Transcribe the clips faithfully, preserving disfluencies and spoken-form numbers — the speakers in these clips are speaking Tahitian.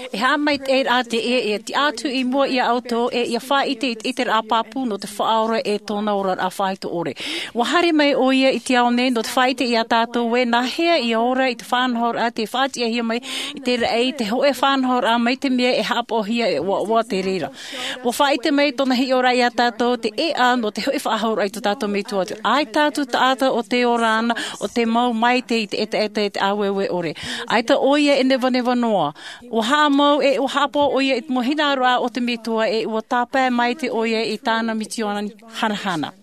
E haʻamaitaʻi rā te ʻē e tiʻa atu i mua iā ʻoutou e ia faʻaʻite i te ʻiteraʻa pāpū nō te Faʻaora e tōna oraraʻa faʻaitoito. Ua haere mai ʻoia i te ao nei nō te faʻaʻite iā tātou ē nāhea ia ora i te faʻanahoraʻa tei faʻatiʻahia mai i te raʻi, te hōʻē faʻanahoraʻa mai te mea e haʻapaʻohia e ʻoaʻoa te reira. Ua faʻaʻite mai tōna hiʻoraʻa iā tātou te ʻēʻa nō te hoʻi faʻahou raʻa i tō tātou Metua. ʻAita atu taʻata o te ora ana, o te mau maitaʻi i te ʻetaʻeta e te ʻāueue ʻore. ʻAita ʻoia e nevaneva noa. Ua haʻamau e ua haʻapaʻo ʻoia i te mau hinaʻaroraʻa o te Metua e ua tāpae maitaʻi ʻoia i tāna misiōni hanahana.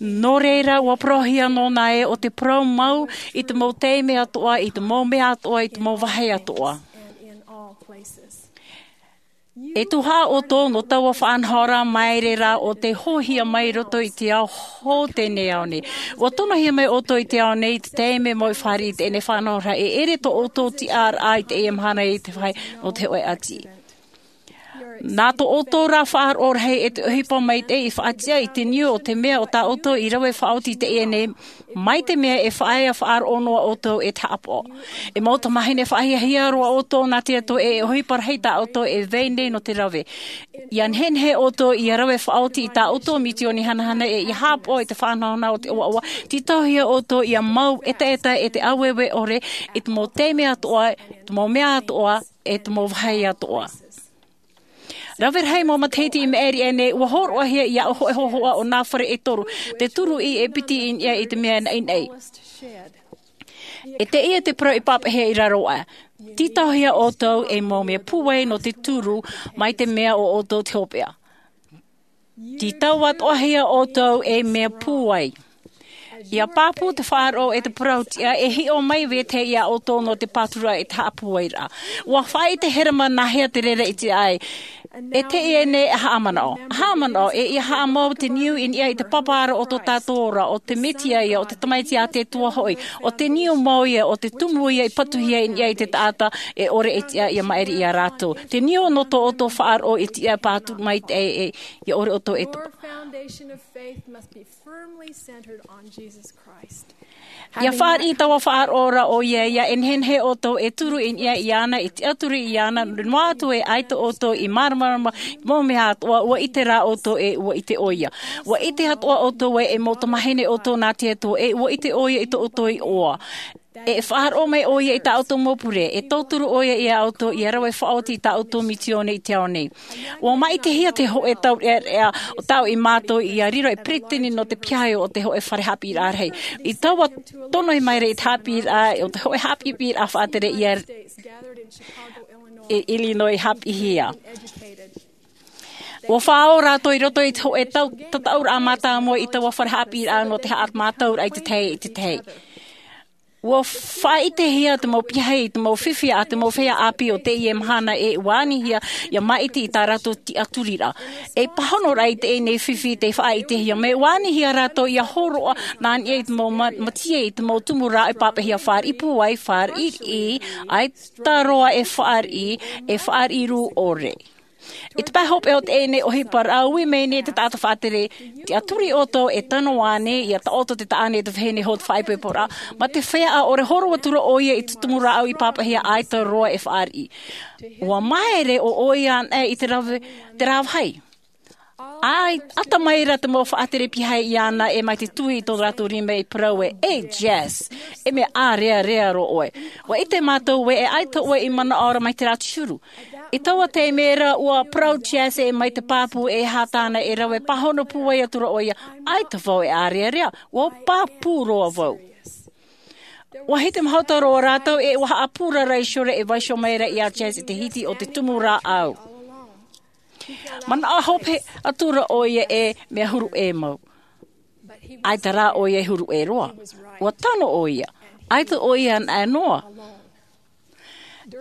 Nō reira, ua parauhia nōna ē ʻo te parau mau i te mau taime atoʻa, i te mau mea atoʻa, i te mau vāhi atoʻa. E tuhaʻa ʻoutou nō taua faʻanahoraʻa maere rā o tei hoʻihia mai i roto i te ao hou teie nei ao nei. Ua tonohia mai ʻoutou i te ao nei i te taime mau i fāriʻi i teie nei faʻanahoraʻa e ʻere tō ʻoutou tiʻaraʻa i teie mahana i te vāhi nō te hōʻē ʻati. Nā tō ʻoutou rā faʻaroʻo rahi e te ʻohipa maitaʻi i faʻatiʻa i te niu o te mea o tā ʻoutou i rave faʻaoti i teie nei, mai te mea e faʻaea faʻaroʻo noa ʻoutou e te haʻapaʻo. E mau tamāhine faʻahiahia roa ʻoutou nā te Atua e ʻohipa rahi tā ʻoutou e vai nei nō te rave. ʻIa nehenehe ʻoutou ʻia rave faʻaoti i tā ʻoutou misiōni hanahana e ʻia haʻapaʻo i te faʻanahonaho o te ʻoaʻoa, tītauhia ʻoutou ʻia mau ʻetaʻeta e te ʻāueue ʻore i te mau taime atoʻa, te mau mea atoʻa, e te mau vāhi atoʻa. Rave rahi mau matahiti i maʻiri aʻe nei, ua hōroʻahia iāʻu hōʻē hōhoʻa o nā fare e toru, te turuʻi e piti i niʻa i te mea naʻinaʻi. E teie te parau i pāpaʻihia i raro aʻe. Tītauhia ʻoutou ei mau mea pūai nō te turu mai te mea o ʻoutou te hopeʻa. Tītau atoʻahia ʻoutou ei mea pūai. ʻIa pāpū te faʻaroʻo e te parau tiʻa e hiʻo mai vetahi iā ʻoutou nō te pāturaʻa i te haʻapūairaʻa. Ua faʻaʻite Herema nāhea te reira i te ʻai. E teie nei e haʻamanaʻo. Haʻamanaʻo, e ʻia haʻamau te niu i niʻa i te pāpāraʻa o tō tātou ora, ʻo te Mesia ia, ʻo te Tamaiti a te Atua hoʻi, ʻo te niu mau ia, ʻo te tumu ia i patuhia i niʻa i te taʻata e ʻore e tiʻa ʻia maʻiri iā rātou. Te niu nō tō ʻoutou faʻaroʻo i tiʻa pāturu maitaʻi e, ʻia ʻore ʻoutou e tapa. Your foundation of faith must be firmly centered on Jesus Christ. ʻIa fāriʻi taua faʻaroʻo ra ʻoia, ʻia e nehenehe ʻoutou e turu i niʻa iāna, e tiʻaturi iāna, noa atu e ʻaita ʻoutou i māramarama i te mau mea atoʻa, ua ʻite rā ʻoutou e ua ʻite ʻoia. Ua ʻite atoʻa ʻoutou ē e mau tamāhine ʻoutou nā te Atua e ua ʻite ʻoia i tō ʻoutou iʻoa. E faʻaroʻo mai ʻoia i tā ʻoutou mau pure, e tauturu ʻoia iā ʻoutou ʻia rave faʻaoti i tā ʻoutou misiōni i te ao nei. Ua maʻitihia te hōʻē taureʻareʻa o tāʻu i mātou ʻia riro ei peretiteni nō te piahi o te hōʻē fare haʻapiʻiraʻa rahi. I taua tono i maere i te haʻapiʻiraʻa, o te hōʻē haʻapiʻiraʻa faʻatere ʻia, i Illinois haʻapiʻihia. Ua faʻaō rātou i roto i te hōʻē tau, tataʻuraʻa mātāmua i taua fare haʻapiʻiraʻa nō te haʻamātauraʻa i te tahi, i te tahi. Ua faʻaʻitehia te mau piahi i te mau fifi a te mau feiā ʻāpī o teie mahana e ua anihia ʻia maʻiti i tā rātou tiʻaturiraʻa. E pāhonoraʻa i teie nei fifi tei faʻaʻitehia mai, ua anihia rātou ʻia hōroʻa nā niʻa i te mau ma-, mātaʻi i te mau tumu rāʻau e pāpaʻihia fāriʻi pūai, fāriʻi riʻi, ʻaita roa e fāriʻi, e fāriʻi rū ʻore. I te pae hopeʻa o teie nei ʻohiparaʻa, ui mai nei te taʻata faʻatere, tiʻaturi ʻoutou e tano ānei, ʻia taʻoto te taʻane e te vahine hou te faʻaipoiporaʻa, mā te feiā ʻaore hōroʻa atu ra ʻoia i te tumu rāʻau i pāpaʻihia ʻaita roa e fāriʻi. Ua māere ʻo ʻoia anaʻe i te rave, te rāvahi. ʻAi, ʻata mai ra te mau faʻatere piahi iāna e mai te tuhi i tō rātou rima i parau ē, "E Jess, e mea ʻārearea roa ʻoe. Ua ʻite mātou ē e ʻaita ʻoe i manaʻo ra mai te rā te huru." I taua taime ra, ua parau Jess e mai te pāpū e aha tāna e rave, pāhono pūai atu ra ʻoia, "ʻAita vau e ʻārearea, ua pāpū roa vau." Ua hiti mahuta roa rātou e ua haʻapūrara i Shore e vaiiho mai ra iā Jess i te hiti o te tumu rāʻau. Manaʻo hope atu ra ʻoia e mea huru ʻē mau. ʻAita rā ʻoia e huru ʻē roa. Ua tano ʻoia. ʻAita ʻoia anaʻe noa.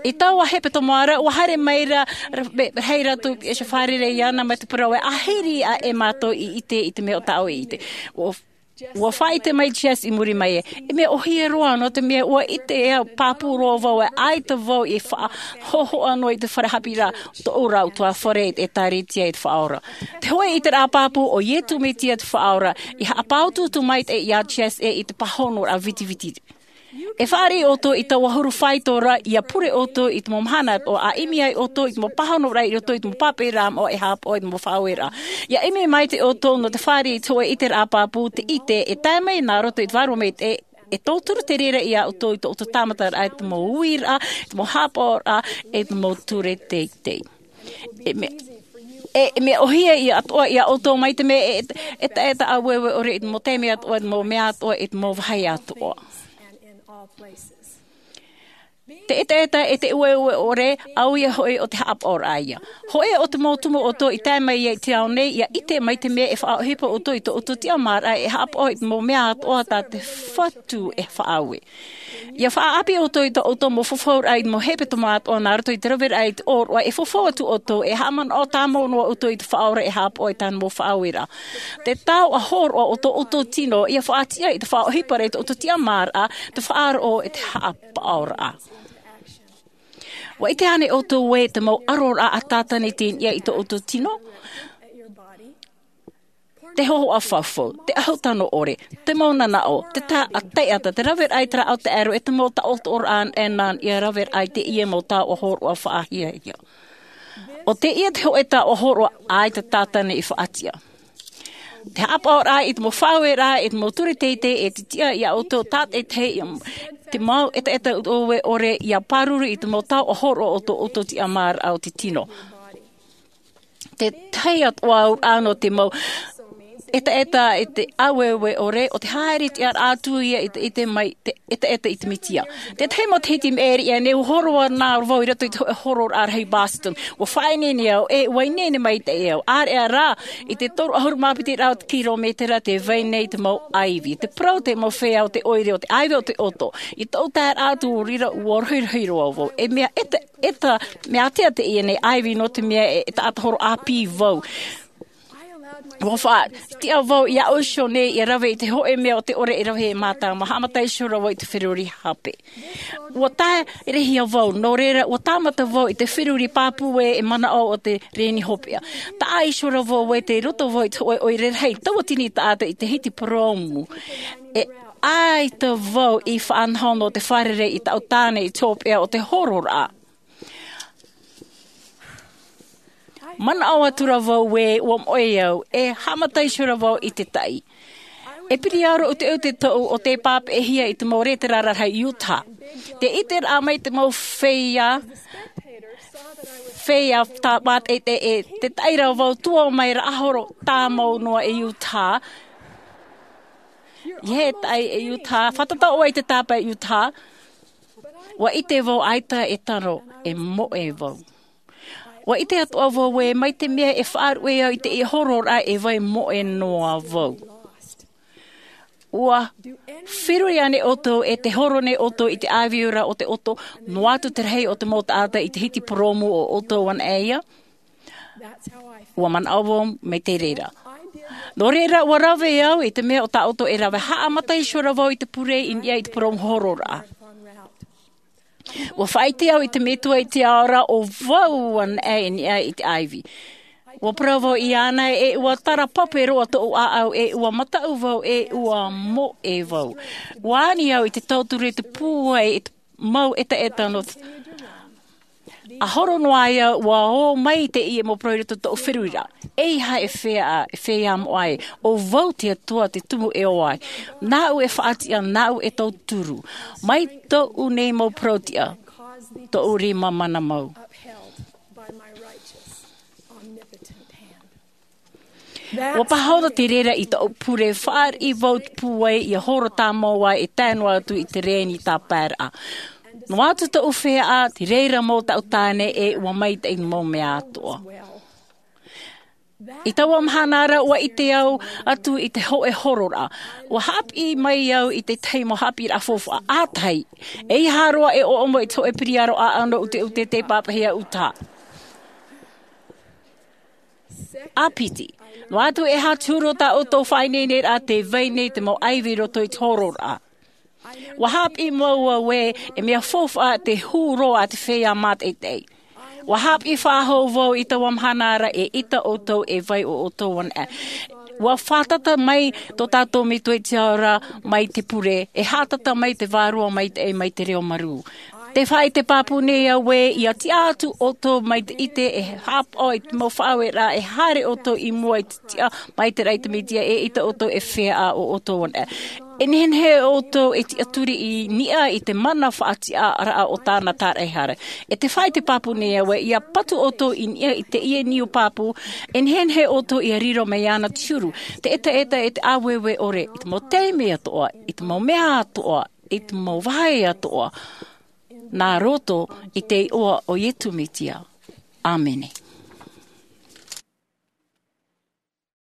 I taua hepetoma ra, ua haere mai ra, ra-, me-, rahi rātou e fārerei iāna mai te parau ē, "Ahiri aʻe mātou i ʻite i te mea o tāʻu i ʻite." Ua, ua faʻaʻite mai Jess i muri mai ē, "E mea ʻōhie roa, nō te mea ua ʻite au, pāpū roa vau ē, ʻaita vau i faʻahōhoʻa noa i te fare haʻapiʻiraʻa, tōʻu rāʻau ʻutuāfare e ʻēkālesia i te Faʻaora." Te hōʻē ʻiteraʻa pāpū, ʻo Iesu Mesia te Faʻaora, i haʻapāutuutu maitaʻi iā Jess ē i te pāhonoraʻa vitiviti. E fāriʻi ʻoutou i taua huru faito ra, ia pure ʻoutou i te mau mahana atoʻa, ʻa ʻimi ai ʻoutou i te mau pāhonoraʻa i roto i te mau pāpaʻiraʻa moʻa e haʻapaʻo i te mau faʻaueraʻa. Ia ʻimi maitaʻi ʻoutou nō te fāriʻi i te hōʻē ʻiteraʻa pāpū, te ʻite e tae mai nā roto i te vārua maitaʻi, e tauturu te reira ia ʻoutou i tō ʻoutou tāmataraʻa, i te mau uiraʻa, i te mau haʻapaʻoraʻa, i te mau ture teitei. E mea, e, e mea ʻōhie ia atoʻa ia ʻoutou mai te mea e, e, e taʻata ʻāueue ʻore i te mau taime atoʻa, i te mau mea atoʻa, i te mau vāhi atoʻa. Te ʻetaʻeta e te ʻāueue ʻore, ʻaita hoʻi ʻo te haʻapaʻoraʻa ia. Hōʻē ʻo te mau tumu ʻoutou i tae mai ia i te ao nei, ia ʻite mai te mea e faʻaʻohipa ʻoutou i tō ʻoutou tiʻamāraʻa e haʻapaʻo i te mau mea atoʻa tā te Fatu e faʻaue. Ia faʻaʻāpī ʻoutou i tō ʻoutou mau fafauraʻa i te mau hepetoma atoʻa nā roto i te raveraʻa i te ʻōroʻa, e fafau atu ʻoutou, e haʻamanaʻo tāmau noa ʻoutou i te Faʻaora e haʻapaʻo i tāna mau faʻaueraʻa. Te taoʻa hōroʻa o tō ʻoutou tino, ia faʻatiʻa i te faʻaʻohiparaʻa i tō ʻoutou tiʻamāraʻa, te faʻaroʻo e te haʻapaʻoraʻa. ʻUa ʻite ānei ʻoutou ē te mau ʻaroraʻa a Tātana i teie nei i tō ʻoutou tino? Te hōhoʻa fafau, te ʻahu tano ʻore, te mau nanaʻo, te taʻata, te raveraʻa i te rāʻau taʻero, e te mau taʻotoʻoraʻa ʻanaʻana, ia raveraʻa i teie mau taoʻa hōroʻa faʻahiahia. ʻO teie te hōʻē taoʻa hōroʻa ʻaita Tātana i faʻatiʻa. Te haʻapaʻoraʻa i te mau faʻaueraʻa, i te mau ture teitei e te tiʻa ia ʻoutou tātaʻitahi, te mau ʻetaʻeta ʻāueue ʻore ia pāruru i te mau taoʻa hōroʻa o tō ʻoutou tiʻamāraʻa o te tino. Te tahi atoʻa auraʻa nō te mau ʻetaʻeta i te ʻāueue ʻore, ʻo te haere tiʻaraʻa atu ia i te, i te mai, te ʻetaʻeta i te Mesia. Te tahi mau matahiti i maʻiri aʻe nei, ʻua hōroʻa nā vau i roto i te hō-, hōroʻaraʻa rahi Boston. ʻUa faʻaineine au, e ʻua ineine maitaʻi au. ʻĀreʻa rā, i te toru ʻahuru mā piti rau te kirometera te vai nei te mau ʻaivi. Te parau te mau feiā o te ʻoire, o te ʻaivi o te ʻoto. I tōʻu taeraʻa atu i reira, ʻua rohirohi roa vau. E mea ʻeta, ʻeta, mea ʻātea teie nei ʻaivi nō te mea e, e taʻata horo ʻāpī vau. ʻUa faʻatiʻa vau i aʻu iho nei ia rave i te hōʻē mea o te ʻore e rave e mātāmua, haʻamata iho ra vau i te feruri hape. ʻUa taerehia vau, nō reira, ʻua tāmata vau i te feruri pāpū ē, e manaʻo o te reni hopeʻa. Taʻa iho ra vau ē, tei roto vau i te hōʻē ʻoire rahi, tauatini taʻata i te hiti purōmu. E ʻaita vau i faʻanaho nō te fārerei i tāʻu tāne i te hopeʻa o te hōroʻaraʻa. Manaʻo atu ra vau ē, ʻua moʻe au, e haʻamata iho ra vau i te taʻi. E piriaro ʻuteʻute tōʻu ʻo tei pāpaʻihia i te mau rētera rahi i Utah. Tē ʻiteraʻa mai te mau feiā, feiā tā mātaʻitaʻi ē, te taʻi ra vau tua mai ra ʻahoro tāmau noa i Utah. ʻI te taʻi i Utah, fātata ʻoe i te tāpae i Utah. ʻUa ʻite vau ʻaita e tano, e moʻe vau. ʻUa ʻite atoʻa vau ē, mai te mea e faʻaruʻe au i teie hōroʻaraʻa e vai moʻe noa vau. ʻUa feruri ānei ʻoutou, e tē horo nei ʻoutou i te ʻāvī ra o te ʻoto, noa atu te rahi o te mau taʻata i te hiti purōmu o ʻoutou anaʻe ia? ʻUa manaʻo vau mai te reira. Nō reira, ʻua rave au i te mea ʻo tā ʻoutou e rave, haʻamata iho ra vau i te pure i niʻa i te purōmu hōroʻaraʻa. ʻUa faʻaʻite au i te Metua i te ao ra, ʻo vau anaʻe i niʻa i te ʻāivi. ʻUa parau vau iāna ē, ʻua tara pape roa tōʻu ʻāʻau ē, ʻua mataʻu vau ē, ʻua moʻe vau. ʻUa ani au i te tauturu i te pūai, i te mau ʻetaʻeta nō te ʻahuru noa ia, ʻua ō mai teie mau parau i roto i tōʻu feruriraʻa. ʻEiaha e feiā, e feiā moʻa ē, ʻo vau te Atua te tumu e ō ai. Nāʻu e faʻatiʻa, nāʻu e tauturu. Mai tōʻu nei mau parau-tiʻa, tōʻu rima mana mau. ʻUa pāhono te reira i tōʻu pure, fāriʻi vau te pūai, ʻia horo tāmau ai e tae noa atu i te reni tāpaeraʻa. Noa atu tōʻu feiā, te reira mau taʻu tāne ē, ʻua maitaʻi mau mea atoʻa. I taua mahana ra, ʻua ʻite au atu i te hōʻē hōroʻaraʻa. ʻUa haʻapiʻi mai au i te tahi mau haʻapiʻiraʻa faufaʻa, ʻa tahi. ʻEiaha roa e ʻoʻomo i te hōʻē piriaro ʻāʻau nō ʻuteʻute tei pāpaʻihia Utah. ʻA piti, noa atu e aha te huru o tā ʻoutou faʻaineineraʻa tē vai nei te mau ʻāivi i roto i te hōroʻaraʻa. ʻUa haʻapiʻi mau au ē, e mea faufaʻa te huru a te feiā mātaʻitaʻi. ʻUa haʻapiʻi faʻahou vau i taua mahana ra, eʻita ʻoutou e vai ʻo ʻoutou anaʻe. Ua fātata mai tō tātou metua i te ao ra mai te pure, e hātata mai te vārua mai te, mai te reo marū. Te faʻaite pāpū nei au ē, ia tiʻa atu ʻoutou mai te ʻite e haʻapaʻo i te mau faʻaueraʻa, e haere ʻoutou i mua i te tiʻa mai te raʻi te mesia, e ʻite ʻoutou e fea ʻo ʻoutou ana. E nehenehe ʻoutou e tiʻaturi i niʻa i te mana faʻatiʻaraʻa o tāna tāraʻehara. E te faʻaite pāpū nei au ē, ia patu ʻoutou i niʻa i teie niu pāpū, e nehenehe ʻoutou ia riro mai ana te huru, te ʻetaʻeta e te ʻāueue ʻore, i te mau taime atoʻa, i te mau mea atoʻa, i te mau vāhi atoʻa, nā roto i te iʻoa o Iesu Mesia. ʻĀmene.